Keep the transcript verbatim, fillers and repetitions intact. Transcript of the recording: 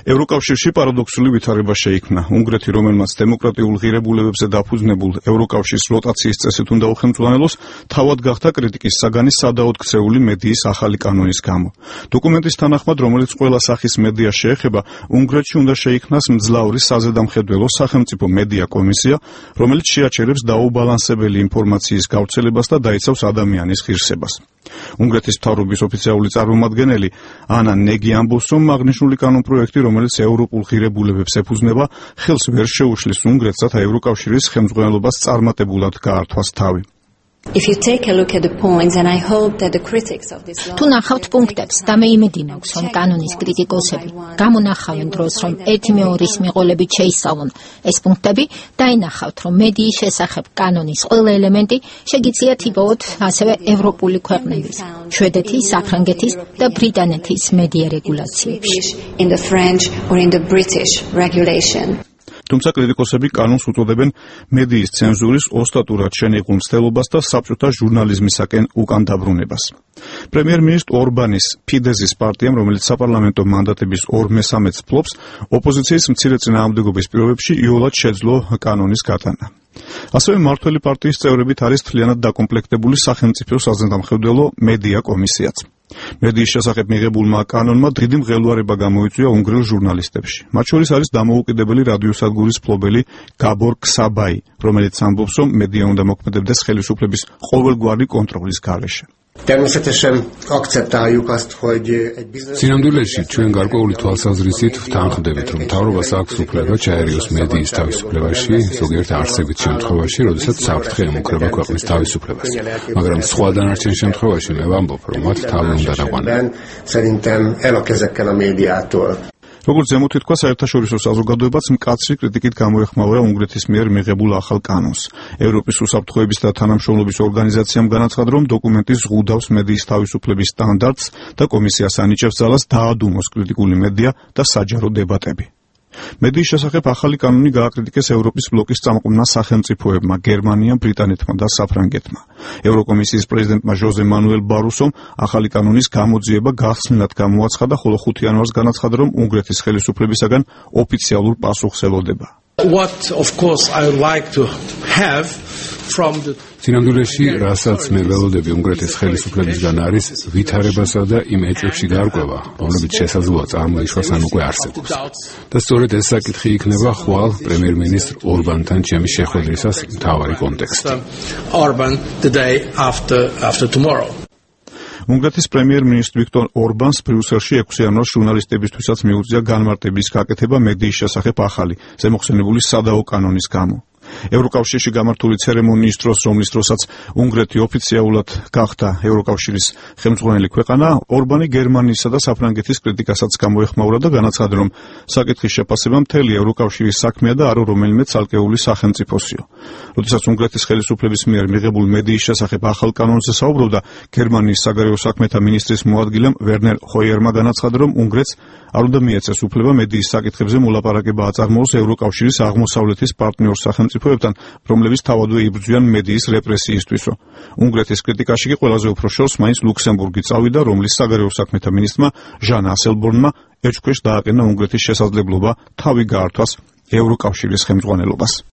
ევროკავშირში პარადოქსული ვითარება შეიქმნა. უნგრეთი, რომელმაც დემოკრატიულ ღირებულებებზე დაფუძნებულ ევროკავშირის როტაციის წესით უნდა უხელმძღვანელოს, თავად გახდა კრიტიკის საგანი სადაოდ ქცეული მედიის ახალი კანონის გამო. დოკუმენტის თანახმად, რომელიც ყველა სახის მედიას შეეხება, უნგრეთში უნდა შეიქმნას მძლავრი საზედამხედველო სახელმწიფო მედია კომისია, რომელიც შეაჩერებს დაუბალანსებელი ინფორმაციის გავრცელებას და დაიცავს ადამიანის ღირსებას. უნგრეთის მთავრობის ოფიციალური წარმომადგენელი ანა ნეგი ამბობს, რომ აღნიშნული კანონპროექტი, რომელიც ევროპულ ღირებულებებს ეფუძნება, ხელს ვერ შეუშლის უნგრეთს, რათა ევროკავშირის ხელმძღვანელობას წარმატებულად გაართვას თავი. თუ ნახავთ პუნქტებს და მე იმედი მაქვს, რომ კანონის კრიტიკოსები გამონახავენ დროს, რომ ერთი მეორის მიყოლებით შეისწავლონ ეს პუნქტები, დაინახავთ, რომ მედიის შესახებ კანონის ყველა ელემენტი შეგიძლიათ იპოვოთ ასევე ევროპული ქვეყნების, შვედეთის, საფრანგეთის და ბრიტანეთის მედია რეგულაციებში. თუმცა კრიტიკოსები კანონს უწოდებენ მედიის ცენზურის ოსტატურად შენიღულ მცდელობას და საბჭოთა ჟურნალიზმისაკენ უკან დაბრუნებას. პრემიერ-მინისტრ ორბანის ფიდეზის პარტიამ, რომელიც საპარლამენტო მანდატების ორ მესამედს ფლობს, ოპოზიციის მცირე წინააღმდეგობის პირობებში იოლად შეძლო კანონის გატანა. ასევე მმართველი პარტიის წევრებით არის მთლიანად დაკომპლექტებული სახელმწიფო საზედამხედველო მედია კომისიაც. მედიის შესახებ მიღებულმა კანონმა დიდი მღელვარება გამოიწვია უნგრელ ჟურნალისტებში. მათ შორის არის დამოუკიდებელი რადიოსადგურის მფლობელი გაბორ ქსაბაი, რომელიც ამბობს, რომ მედია უნდა მოქმედებდეს ხელისუფლების ყოველგვარი კონტროლის გარეშე. სინამდვილეში ჩვენ გარკვეული თვალსაზრისით ვთანხმდებით, რომ მთავრობას აქვს უფლება ჩაერიოს მედიის თავისუფლებაში, ზოგიერთ არსებით შემთხვევაში, როდესაც საფრთხე ემუქრება ქვეყნის თავისუფლებას. მაგრამ სხვა დანარჩენ შემთხვევაში მე ვამბობ, რომ მათ თავი უნდა დაყვანონ. როგორც ზემოთ ითქვა, საერთაშორისო საზოგადოებაც მკაცრი კრიტიკით გამოეხმაურა უნგრეთის მიერ მიღებულ ახალ კანონს. ევროპის უსაფრთხოების და თანამშრომლობის ორგანიზაციამ განაცხადა, რომ დოკუმენტი ზღუდავს მედიის თავისუფლების სტანდარტს და კომისიას ანიჭებს ძალას დაადუმოს კრიტიკული მედია და საჯარო დებატები. მედიის შესახებ ახალი კანონი გააკრიტიკეს ევროპის ბლოკის წამყვანმა სახელმწიფოებმა, გერმანიამ, ბრიტანეთმა და საფრანგეთმა. ევროკომისიის პრეზიდენტმა ჟოზე მანუელ ბარუსომ ახალი კანონის გამოძიება გახსნილად გამოაცხადა, ხოლო ხუთი იანვარს განაცხადა, რომ უნგრეთის ხელისუფლებისაგან ოფიციალურ პასუხს ელოდება. სინამდვილეში, რასაც მე ველოდები უნგრეთის ხელისუფლებისგან არის ვითარებასა და იმ ეჭვებში გარკვევა, რომლებიც შესაძლოა წარმოიშვას ან უკვე არსებობს. და სწორედ ეს საკითხი იქნება ხვალ პრემიერ-მინისტრ ორბანთან ჩემი შეხვედრისას მთავარი კონტექსტი. უნგრეთის პრემიერ-მინისტრ ვიქტორ ორბანს ბრიუსელში ექვსი იანვარს ჟურნალისტებისთვისაც მიუწია განმარტების გაკეთება მედიის შესახებ ახალი, ზემოხსენებული სადაო კანონის გამო. ევროკავშირში გამართული ცერემონიის დროს, რომლის დროსაც უნგრეთი ოფიციალურად გახდა ევროკავშირის ხელმძღვანელი ქვეყანა, ორბანი გერმანიისა და საფრანგეთის კრიტიკასაც გამოეხმაურა და განაცხადა, რომ საკითხის შეფასება მთელი ევროკავშირის საქმეა და არა რომელიმე ცალკეული სახელმწიფოსიო. როდესაც უნგრეთის ხელისუფლების მიერ მიღებულ მედიის შესახებ ახალ კანონზე საუბრობდა, გერმანიის საგარეო საქმეთა მინისტრის მოადგილემ ვერნერ ჰოიერმა განაცხადა, რომ უნგრეთს არ უნდა მიეცეს უფლება მედიის საკითხებზე მოლაპარაკება აწარმოოს ევროკავშირის აღმოსავლეთის პარტნიორ სახელმწიფოებთან, რომლებიც თავადვე იბრძვიან მედიის რეპრესიისთვისო. უნგრეთის კრიტიკაში კი ყველაზე უფრო შორს მაინც ლუქსემბურგი წავიდა, რომლის საგარეო საქმეთა მინისტრმა ჟან ასელბორნმა ეჭვქვეშ დააყენა უნგრეთის შესაძლებლობა თავი გაართვას ევროკავშირის ხელმძღვანელობას.